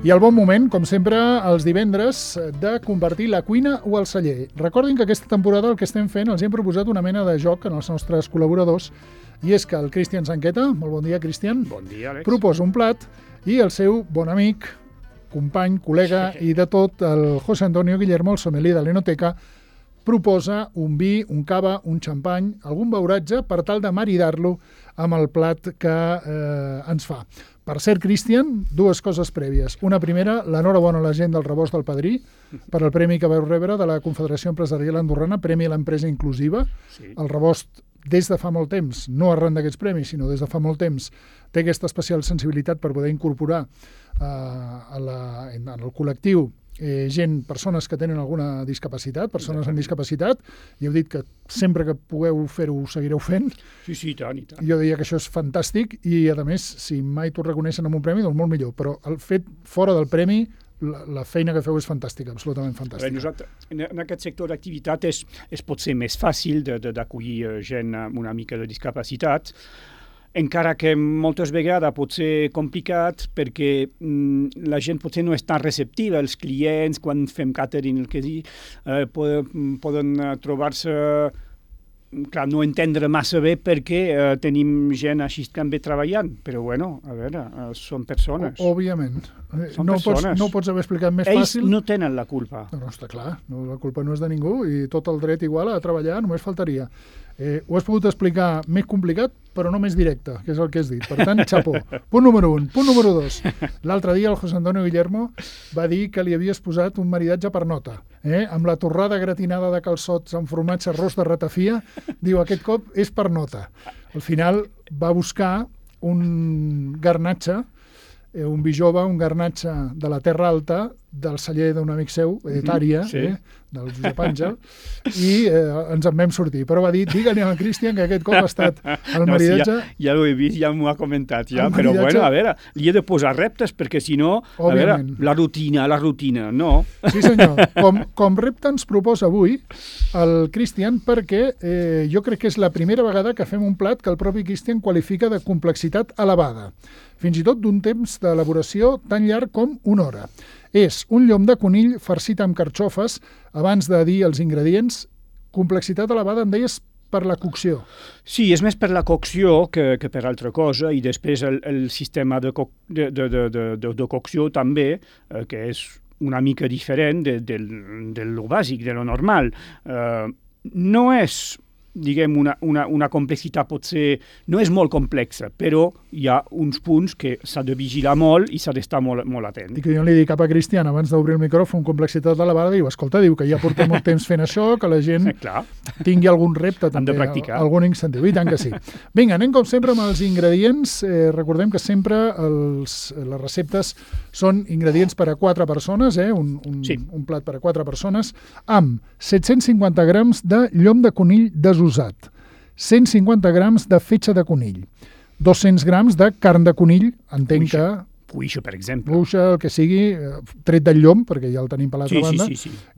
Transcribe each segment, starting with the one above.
I el bon moment, com sempre, els divendres, de convertir la cuina o el celler. Recordin que aquesta temporada el que estem fent, els hem proposat una mena de joc en els nostres col·laboradors, i és que el Cristian Sanqueta, molt bon dia, Cristian, bon dia, Àlex, proposa un plat i el seu bon amic, company, col·lega i de tot, el José Antonio Guillermo, el sommelier de l'Enoteca, proposa un vi, un cava, un xampany, algun beuratge per tal de maridar-lo amb el plat que ens fa. Per cert, Cristian, dues coses prèvies. Una primera, l'enhorabona a la gent del Rebost del Padrí per al premi que vau rebre de la Confederació Empresarial Andorrana, Premi a l'Empresa Inclusiva. Sí. El Rebost, des de fa molt temps, no arran d'aquests premis, sinó des de fa molt temps, té aquesta especial sensibilitat per poder incorporar en el col·lectiu persones que tenen alguna discapacitat, persones amb discapacitat, i heu dit que sempre que pugueu fer-ho, ho seguireu fent. Sí, i tant, i tant. Jo diria que això és fantàstic i, a més, si mai t'ho reconeixen amb un premi, doncs molt millor. Però el fet fora del premi, la feina que feu és fantàstica, absolutament fantàstica. Nosaltres, en aquest sector d'activitat és potser més fàcil d'acollir gent amb una mica de discapacitat, encara que moltes vegades pot ser complicat perquè la gent potser no és tan receptiva, els clients, quan fem catering, el que sigui, poden trobar-se, clar, no entendre massa bé perquè tenim gent així també treballant, però bueno, a veure, són persones. Òbviament. No ho pots haver explicat més fàcil. Ells no tenen la culpa. No, està clar, la culpa no és de ningú i tot el dret igual a treballar, només faltaria. Ho has pogut explicar més complicat, però no més directe, que és el que has dit. Per tant, xapó. Punt número 1. Punt número 2. L'altre dia el José Antonio Guillermo va dir que li havies posat un maridatge per nota. Amb la torrada gratinada de calçots amb formatge arròs de ratafia, diu, aquest cop és per nota. Al final va buscar un garnatge, un vi jove, un garnatge de la Terra Alta, del celler d'un amic seu, Tària, del Josep Àngel, i ens en vam sortir. Però va dir, digue-li al Cristian que aquest cop ha estat el maridatge... Ja ho he vist, ja m'ho ha comentat, ja, però bueno, a veure, li he de posar reptes, perquè si no, a veure, la rutina, no. Sí senyor, com repte ens proposa avui el Cristian, perquè jo crec que és la primera vegada que fem un plat que el propi Cristian qualifica de complexitat elevada, fins i tot d'un temps d'elaboració tan llarg com una hora. És un llom de conill farcit amb carxofes, abans de dir els ingredients, complexitat elevada, em deies, per la cocció. Sí, és més per la cocció que per altra cosa, i després el sistema de cocció també, que és una mica diferent de lo bàsic, de lo normal. No és, diguem, una complexitat potser... No és molt complexa, però hi ha uns punts que s'ha de vigilar molt i s'ha d'estar molt atent. I que jo li dic cap a Cristian, abans d'obrir el micròfon, complexitat elevada, diu, escolta, diu que ja portem molt temps fent això, que la gent tingui algun repte també, algun incentiu, i tant que sí. Vinga, anem com sempre amb els ingredients. Recordem que sempre les receptes són ingredients per a 4 persones, un plat per a 4 persones, amb 750 grams de llom de conill desosat, 150 grams de fetge de conill, 200 grams de carn de conill, entenc que... Cuixa, per exemple. Cuixa, el que sigui, tret del llom, perquè ja el tenim per l'altra banda,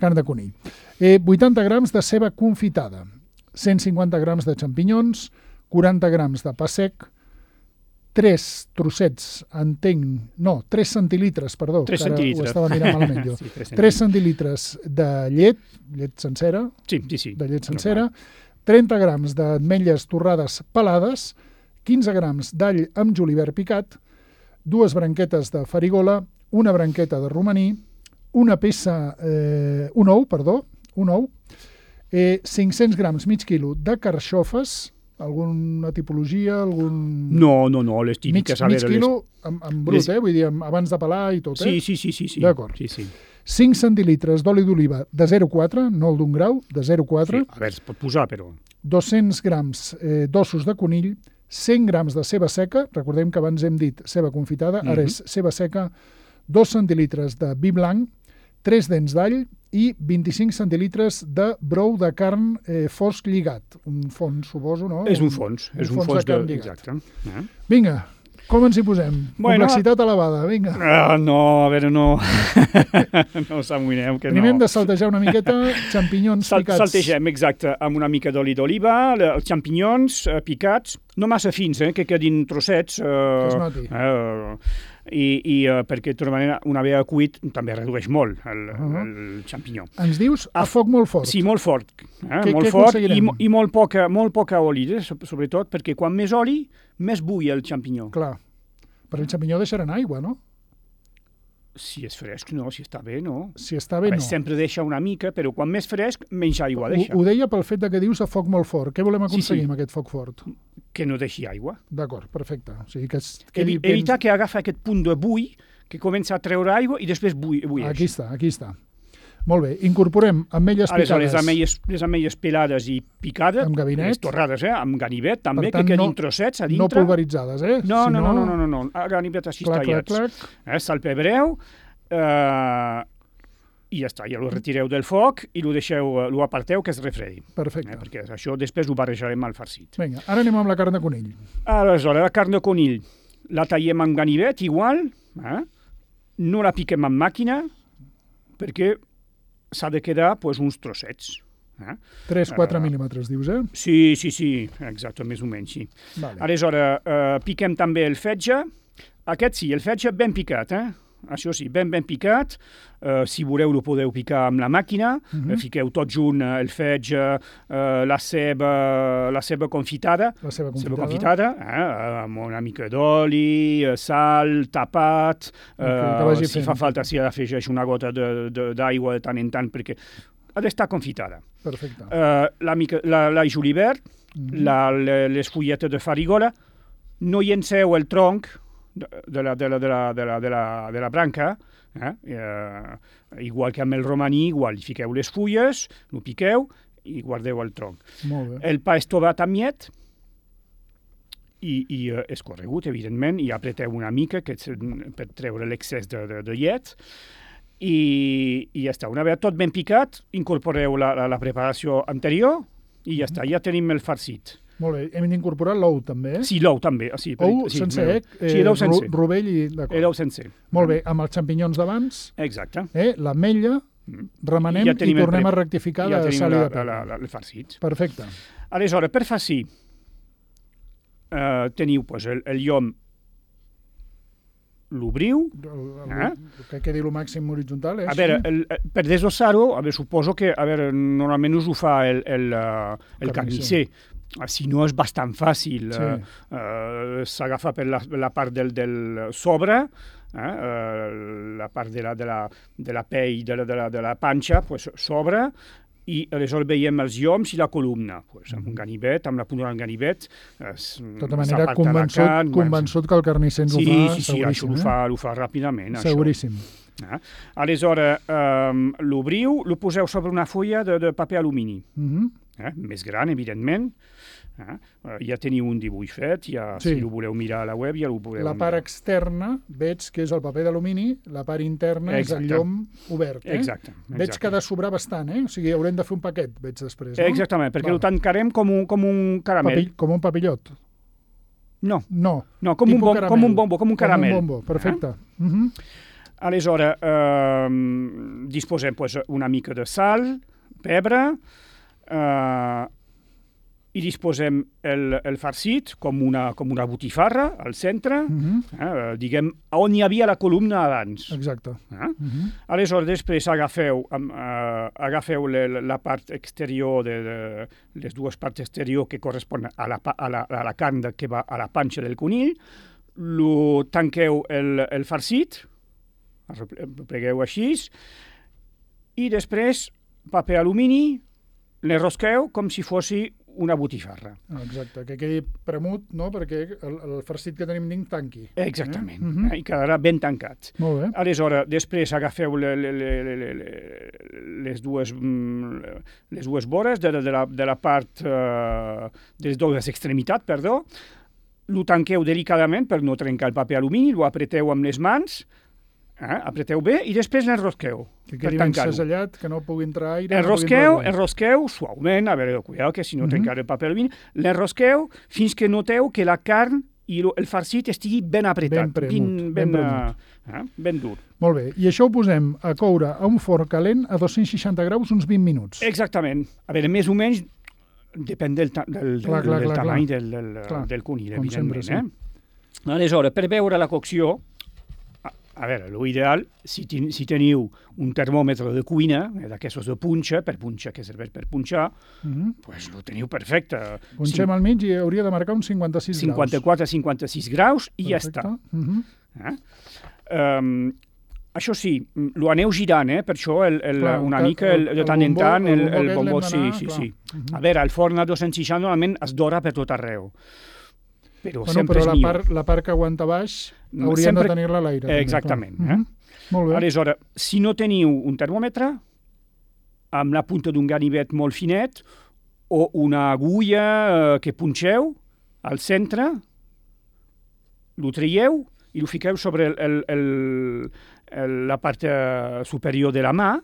carn de conill. 80 grams de ceba confitada, 150 grams de xampinyons, 40 grams de pa sec, 3 trossets, 3 centilitres, perdó, 3 centilitres. Ho estava mirant malament jo. 3 centilitres de llet sencera, de llet sencera, 30 grams d'ametlles torrades pelades, 15 grams d'all amb julivert picat, 2 branquetes de farigola, una branqueta de romaní, un ou, 500 grams, mig quilo de carxofes, alguna tipologia, algun... No, les típiques. Mig quilo en brut, vull dir, abans de pelar i tot, Sí. D'acord. 5 centilitres d'oli d'oliva de 0,4, no el d'un grau, de 0,4. Sí, a veure, es pot posar, però... 200 grams d'ossos de conill, 100 grams de ceba seca, recordem que abans hem dit ceba confitada, ara és ceba seca, 2 centilitres de vi blanc, 3 dents d'all i 25 centilitres de brou de carn fosc lligat. Un fons, suposo, no? És un fons de carn lligat. Exacte. Vinga, com ens hi posem? Complexitat elevada, vinga. No, a veure, no. No s'amoïneu, que no. Primer hem de saltejar una miqueta xampinyons picats. Saltegem, exacte, amb una mica d'oli d'oliva, els xampinyons picats, no massa fins, que quedin trossets. Que es noti. perquè de tota manera una vegada cuit també redueix molt el xampinyó. Ens dius a foc molt fort. Sí, molt fort. Què Molt fort aconseguirem? i molt poca oli, sobretot, perquè quan més oli, més bull el xampinyó. Clar, però el xampinyó deixarà en aigua, no? Si és fresc, no. Si està bé, no. Si està bé, no. Sempre deixa una mica, però quan més fresc, menys aigua deixa. Ho deia pel fet que dius a foc molt fort. Què volem aconseguir amb aquest foc fort? Que no deixi aigua. D'acord, perfecte. O sigui, que evitar que agafa aquest punt de bull, que comença a treure aigua i després bulleix. Aquí està. Molt bé, incorporem ametlles picades. Les ametlles pelades i picades, amb gabinet, les torrades, amb ganivet, també, que quedin trossets a dintre. No pulveritzades, eh? No, a ganivet així tallats. Salpebreu, i ja està, ja ho retireu del foc i ho aparteu que es refredi. Perfecte. Perquè això després ho barrejarem al farcit. Vinga, ara anem amb la carn de conill. Aleshores, la carn de conill la tallem amb ganivet, igual, no la piquem amb màquina, perquè s'ha de quedar uns trossets. 3-4 mil·límetres, dius, eh? Sí, exacte, més o menys, sí. Vale. Aleshores, piquem també el fetge. Aquest sí, el fetge ben picat, Això sí, ben picat. Si voleu, ho podeu picar amb la màquina. Fiqueu tot junt, el fetge, la ceba confitada. La ceba confitada, amb una mica d'oli, sal, tapat. Si fa falta, s'hi afegeix una gota d'aigua de tant en tant, perquè ha d'estar confitada. Perfecte. L'all julivert, les fulletes de farigola. No llenceu el tronc de la branca, igual que amb el romaní, igual, hi fiqueu les fulles, ho piqueu i guardeu el tronc. Molt bé. El pa estovat amb llet i escorregut, evidentment, i apreteu una mica per treure l'excés de llet i ja està. Una vegada tot ben picat, incorporeu la preparació anterior i ja està, ja tenim el farcit. Molt bé, hem d'incorporar l'ou també, eh? Sí, l'ou també. Sí, ou sencer, sí, l'ou sencer. Rovell i... L'ou sencer. Molt bé, amb els xampinyons d'abans, exacte. L'ametlla, remenem i tornem a rectificar de sal i de pebre. El farcit. Perfecte. Aleshores, per farcir, teniu el llom, l'obriu. Que quedi el màxim horitzontal, A veure, per desossar-ho, suposo que normalment us ho fa el carnisser. Si no, és bastant fàcil. S'agafa per la part del sobre, la part de la pell, de la panxa, sobre, i aleshores veiem els lloms i la columna. Amb un ganivet, amb la punta del ganivet. De tota manera, convençut que el carnisser ens ho fa, seguríssim. Sí, això ho fa ràpidament. Seguríssim. Aleshores, l'obriu, lo poseu sobre una folla de paper alumini. Més gran, evidentment. Ja teniu un dibuix fet, si ho voleu mirar a la web ja ho podeu mirar. La part externa veig que és el paper d'alumini, la part interna és el llom obert. Exacte. Veig que ha de sobrar bastant, O sigui, haurem de fer un paquet, veig després, no? Exactament, perquè ho tancarem com un caramel. Com un papillot? No, com un bombo, com un caramel. Com un bombo, perfecte. Aleshores, disposem una mica de sal, pebre, i disposem el farcit com una botifarra al centre, diguem, on hi havia la columna abans. Exacte. Aleshores, després agafeu la part exterior, les dues parts exteriors que corresponen a la carn que va a la panxa del conill, lo tanqueu el farcit, plegueu així, i després paper alumini, l'enrosqueu com si fos una botifarra. Exacte, que quedi premut, no?, perquè el farcit que tenim dins tanqui. Exactament, i quedarà ben tancat. Molt bé. Aleshores, després agafeu les dues vores de la part, de les dues extremitats, perdó, lo tanqueu delicadament per no trencar el paper alumini, lo apreteu amb les mans, apreteu bé i després l'enrosqueu. Que quedi ben segellat, que no pugui entrar aire. Enrosqueu suaument, a veure, cuidado, que si no trencar el paper alumini, l'enrosqueu fins que noteu que la carn i el farcit estigui ben apretat. Ben dur. Molt bé, i això ho posem a coure a un forn calent a 260 graus uns 20 minuts. Exactament. A veure, més o menys depèn del tamany del conill, evidentment. Aleshores, per veure la cocció, A veure, l'ideal, si teniu un termòmetre de cuina, d'aquestos de punxa, que serveix per punxar, doncs ho teniu perfecte. Punxem al mig i hauria de marcar uns 56 graus. 54-56 graus i ja està. Això sí, ho aneu girant, per això una mica de tant en tant el bombó, sí. A veure, el forn a 260 normalment es dora per tot arreu. Però la part que aguanta baix hauríem de tenir-la a l'aire. Exactament. Molt bé. Aleshores, si no teniu un termòmetre, amb la punta d'un ganivet molt finet, o una agulla que punxeu al centre, lo traieu i ho fiqueu sobre la part superior de la mà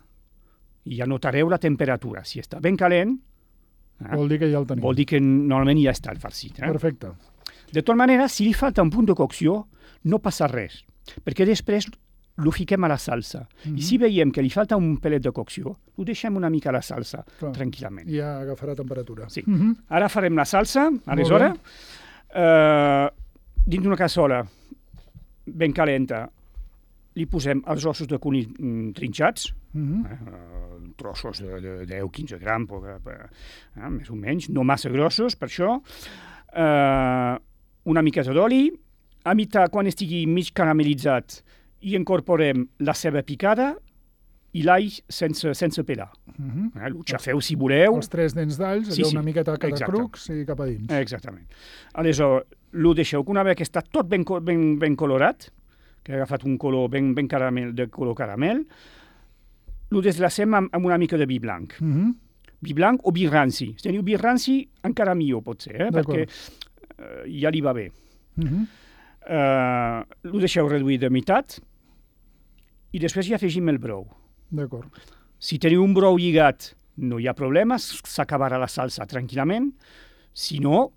i ja notareu la temperatura. Si està ben calent, vol dir que ja el tenim. Vol dir que normalment ja està el farcit. Perfecte. De tota manera, si li falta un punt de cocció, no passa res, perquè després lo fiquem a la salsa. I si veiem que li falta un pelet de cocció, ho deixem una mica a la salsa, tranquil·lament. I ja agafarà temperatura. Sí. Ara farem la salsa, aleshores, dins d'una cassola ben calenta, li posem els ossos de conill trinxats, trossos de 10-15 grams, més o menys, no massa grossos, per això. Una miqueta d'oli, a meitat, quan estigui mig caramelitzat, hi incorporem la ceba picada i l'all sense pelar. Ho xafeu si voleu. Els 3 dents d'alls, allò una miqueta a cada crucs i cap a dins. Exactament. Aleshores, ho deixeu que una vegada que està tot ben colorat, que ha agafat un color ben caramel, de color caramel, ho deslacem amb una mica de vi blanc. Vi blanc o vi ranci. Si teniu vi ranci, encara millor pot ser, perquè ja li va bé. Ho deixeu reduir de meitat i després hi afegim el brou. D'acord. Si teniu un brou lligat, no hi ha problema, s'acabarà la salsa tranquil·lament. Si no,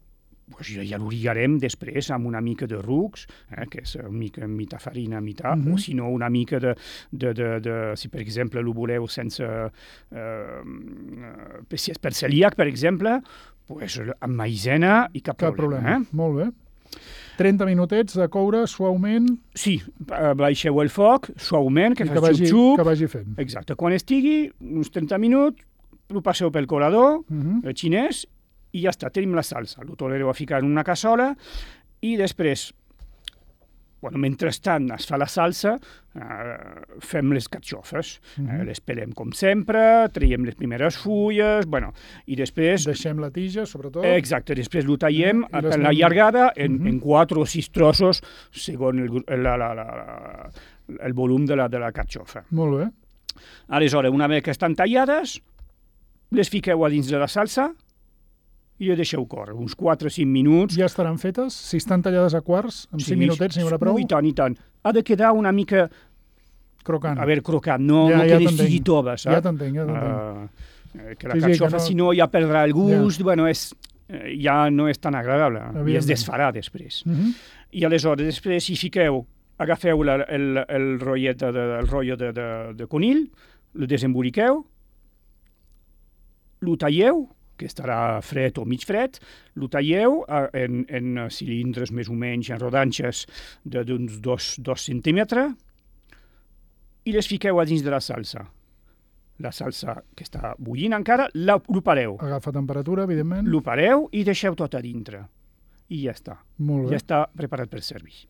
ja ho lligarem després amb una mica de rucs, que és mica farina, o si no una mica de si per exemple ho voleu sense si és per celíac, per exemple, amb maïzena i cap problema. Molt bé. 30 minutets de coure suaument. Sí, baixeu el foc suaument, que faci xup-xup. Que vagi fent. Exacte. Quan estigui, uns 30 minuts, ho passeu pel colador xinès i ja està, tenim la salsa. Ho tornareu a ficar en una cassola i després, mentrestant es fa la salsa, fem les carxofes. Les pelem com sempre, traiem les primeres fulles, i després... Deixem la tija, sobretot. Exacte, després ho tallem per la llargada en 4 o 6 trossos, segons el volum de la carxofa. Molt bé. Aleshores, una vegada que estan tallades, les fiqueu a dins de la salsa i les deixeu córrer, uns 4 o 5 minuts. Ja estaran fetes? Si estan tallades a quarts, amb 5 minutets n'hi haurà prou? I tant. Ha de quedar una mica... Crocant. A veure, crocant, no que estigui tova, saps? Ja t'entenc. Que la carxofa, si no, ja perdrà el gust, ja no és tan agradable, i es desfarà després. I aleshores, després, si fiqueu, agafeu el rotllo de conill, el desemboliqueu, lo talleu, que estarà fred o mig fred, lo talleu en cilindres més o menys, en rodanxes d'uns 2 centímetres, i les fiqueu a dins de la salsa. La salsa que està bullint encara, lo pareu. Agafa temperatura, evidentment. Lo pareu i deixeu tot a dintre. I ja està. Molt bé. Ja està preparat per servir.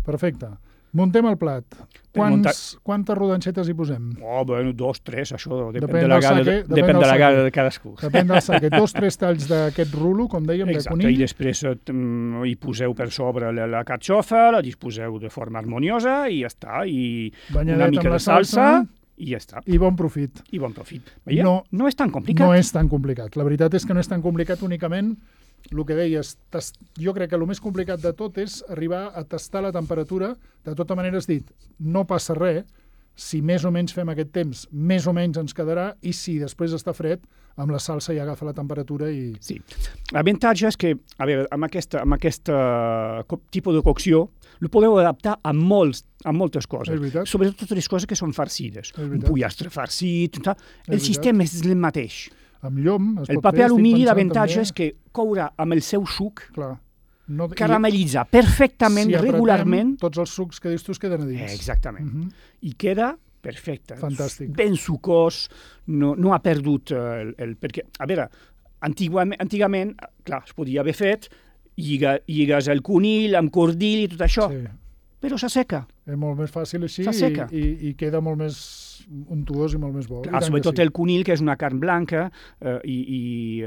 Perfecte. Muntem el plat. Quantes rodanxetes hi posem? 2, 3, això depèn de la gana de cadascú. Depèn del saquet. 2 o 3 talls d'aquest rulo, com dèiem, de conill. I després hi poseu per sobre la carxofa, la disposeu de forma harmoniosa i ja està. I una mica de salsa i ja està. I bon profit. No és tan complicat. No és tan complicat. La veritat és que no és tan complicat únicament. El que deies, jo crec que el més complicat de tot és arribar a tastar la temperatura. De tota manera, has dit, no passa res, si més o menys fem aquest temps, més o menys ens quedarà, i si després està fred, amb la salsa ja agafa la temperatura i... Sí. L'avantatge és que, a veure, amb aquest tipus de cocció, ho podeu adaptar a moltes coses. És veritat. Sobretot totes les coses que són farcides. Un pollastre farcit, el sistema és el mateix. Amb llom es pot fer. El paper alumini, l'avantatge és que courà amb el seu suc. Clar. caramel·litza perfectament, regularment. Tots els sucs que dius tu es queden a dins. Exactament. I queda perfecte. Fantàstic. Ben sucós, no ha perdut perquè, a veure, antigament, clar, es podia haver fet lligues al conill, amb cordill i tot això, però s'asseca. És molt més fàcil així i queda molt més untuós i molt més bo. Clar, sobretot el conill, que és una carn blanca, i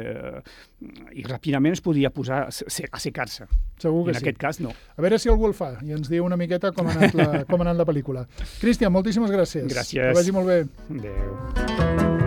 ràpidament es podia posar a secar-se. Segur que sí. En aquest cas, no. A veure si algú el fa i ens diu una miqueta com ha anat la pel·lícula. Cristian, moltíssimes gràcies. Gràcies. Que vagi molt bé. Adéu.